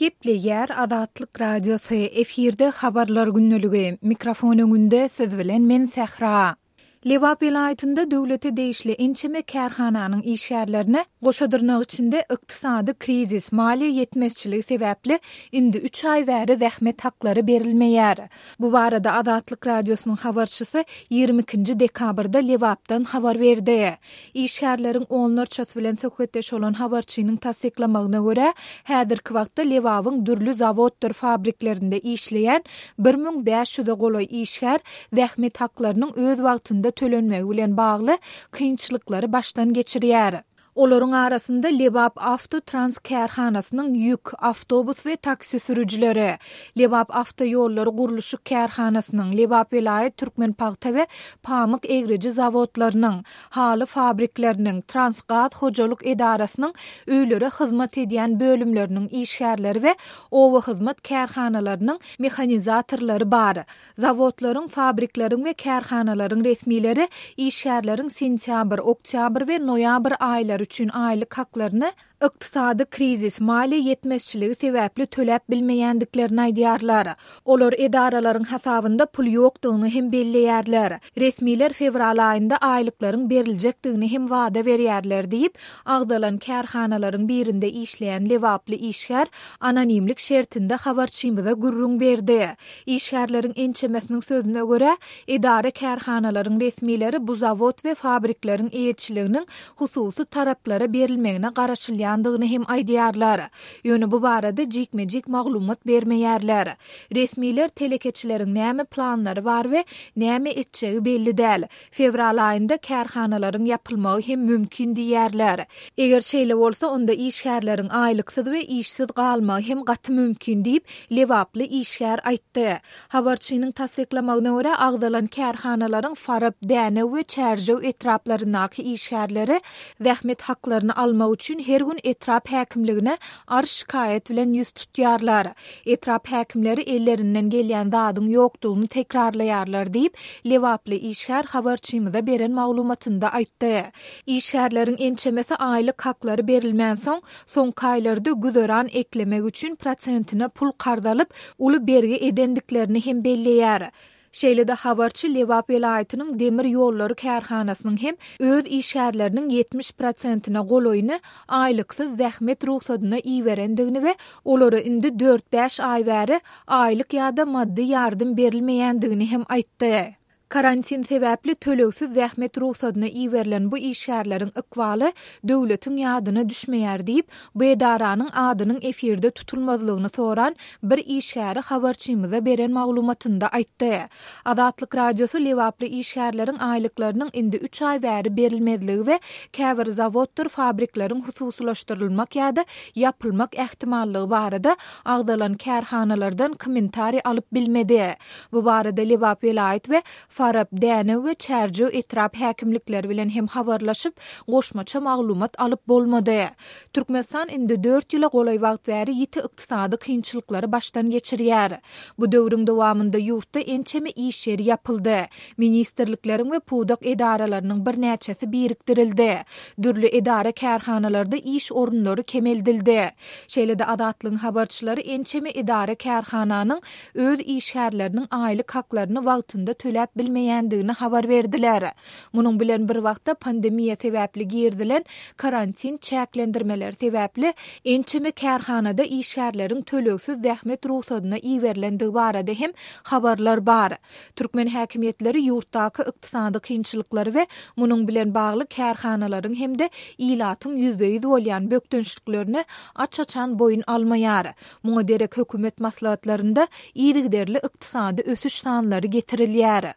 Gepleýär Azatlyk Radiosy, efirde Habarlar gündeligi, mikrofon öňünde siz bilen men Sähra. Lebap welaýatynda döwlete degişli ençeme kärhananyň işgärlerine goşa dyrnak içinde ykdysady krizis, maliýe ýetmezçiligi sebäpli indi üç aý bäri zähmet haklary berilmeýär. Bu barada Azatlyk Radiosynyň habarçysy 22-nji dekabrda Lebapdan habar berdi. Işgärleriň onlarçasy bilen söhbetdeş bolan habarçynyň tassyklamagyna görä, häzirki wagtda Lebabyň dürli zawoddyr fabriklerinde işleýän 1500-e golaý işgär zähmet haklarynyň öz wagtynda tölenmegi bilen bagly kynçylyklary başdan geçirýär. Olaryň arasynda Lebap Awto Trans kärhanasynyň ýük, awtobus we taksi sürüjileri, Lebap awtoýollary gurluşyk kärhanasynyň, Lebap welaýat Türkmenpagta we pamyk egriji zawodlarynyň, haly fabrikleriniň, Transgaz hojalyk edarasynyň öýlere hyzmat edýän bölümleriniň işgärleri we obahyzmat kärhanalarynyň mehanizatorlary bar. Zawodlaryň, fabrikleriň we kärhanalaryň resmileri işgärleriň sentýabr, oktýabr we noýabr aýlary üçin aýlyk haklaryny ykdysady krizis, maliýe ýetmezçiligi sebäpli töläp bilmeýändiklerini aýdýarlar. Olar edaralaryň hasabynda pul ýokdugyny hem belleýärler. Resmiler fewral aýynda aýlyklaryň beriljekdigini hem wada berýärler diýip, agzalan kärhanalaryň birinde işleýän lebaply işgär anonimlik şertinde habarçymyza gürrüň berdi. Işgärleriň ençemesiniň sözüne görä, edara-kärhanalaryň resmileri bu zawod we fabrikleriň eýeçiliginiň hususy taraplara berilmegine garaşylýandygyny hem aýdýarlar. Ýöne bu barada jikme-jik maglumat bermeýärler. Resmiler telekeçileriň näme planlary bar we näme etjegi belli däl. Fewral aýynda kärhanalaryň ýapylmagy hem mümkin diýýärler. Eger şeýle bolsa, onda işgärleriň aýlyksyz we işsiz galmagy hem gaty mümkin diýip, lebaply işgär aýtdy. Habarçynyň tassyklamagyna görä, agzalan kärhanalaryň Farap, Dänew we Çärjew etraplaryndaky işgärleri zähmet haklaryny almak üçin her gün etrap häkimligine arz-şikaýat bilen ýüz tutýarlar. Etrap häkimleri ellerinden gelýän zadyň ýokdugyny tekrarlaýarlar diýip, lebaply işgär habarçymyza beren maglumatynda aýtdy. Işgärleriň ençemesi aýlyk haklary berilmänsoň, soňky aýlarda güzeran eklemek üçin prosentine pul karz alyp, uly bergi edendiklerini hem belleýär. Şeýle-de habarçy Lebap welaýatynyň demir ýollary kärhanasynyň hem öz işgärleriniň 70 prosentine golaýyny aýlyksyz zähmet rugsadyna iberendigini we olara indi dört-bäş aý bäri aýlyk ýa-da maddy ýardam berilmeýändigini hem aýtdy. Karantin sebäpli tölegsiz zähmet rugsadyna iberilen bu işgärleriň ykbaly döwletiň ýadyna düşmeýär diýip, bu edaranyň adynyň efirde tutulmazlygyny soran bir işgäri habarçymyza beren maglumatynda aýtdy. Azatlyk Radiosy lebaply işgärleriň aýlyklarynyň indi üç aý bäri berilmezligi we käbir zawoddyr fabrikleriň hususylaşdyrylmak ýa-da ýapylmak ähtimallygy barada agzalan kärhanalardan kommentariý alyp bilmedi. Bu barada Lebap welaýat we Farap, Dänew we Çärjew etrap häkimlikleri bilen hem habarlaşyp, goşmaça maglumat alyp bolmady. Türkmenistan indi dört ýyla golaý wagt bäri ýiti ykdysady kynçylyklary başdan geçirýär. Bu döwrüň dowamynda ýurtda ençeme iş ýeri ýapyldy, ministrlikleriň we pudak edaralarynyň birnäçesi birikdirildi, dürli edara-kärhanalarda iş orunlary kemeldildi. Şeýle-de Azatlygyň habarçylary ençeme edara-kärhananyň öz işgärleriniň aýlyk haklaryny wagtynda töläp bilmeýändigini habar berdiler. Munuň bilen bir wagtda pandemiýa sebäpli girizilen karantin çäklendirmeleri sebäpli ençeme kärhanada işgärleriň tölegsiz zähmet rugsadyna iberilendigi barada hem habarlar bar. Türkmen häkimiýetleri ýurtdaky ykdysady kynçylyklary we munuň bilen bagly kärhanalaryň hem-de ilatyň ýüzbe-ýüz bolýan bökdençliklerini aç-açan boýun almaýar. Muňa derek hökümet maslahatlarynda yzygiderli ykdysady ösüş sanlary getirilýär.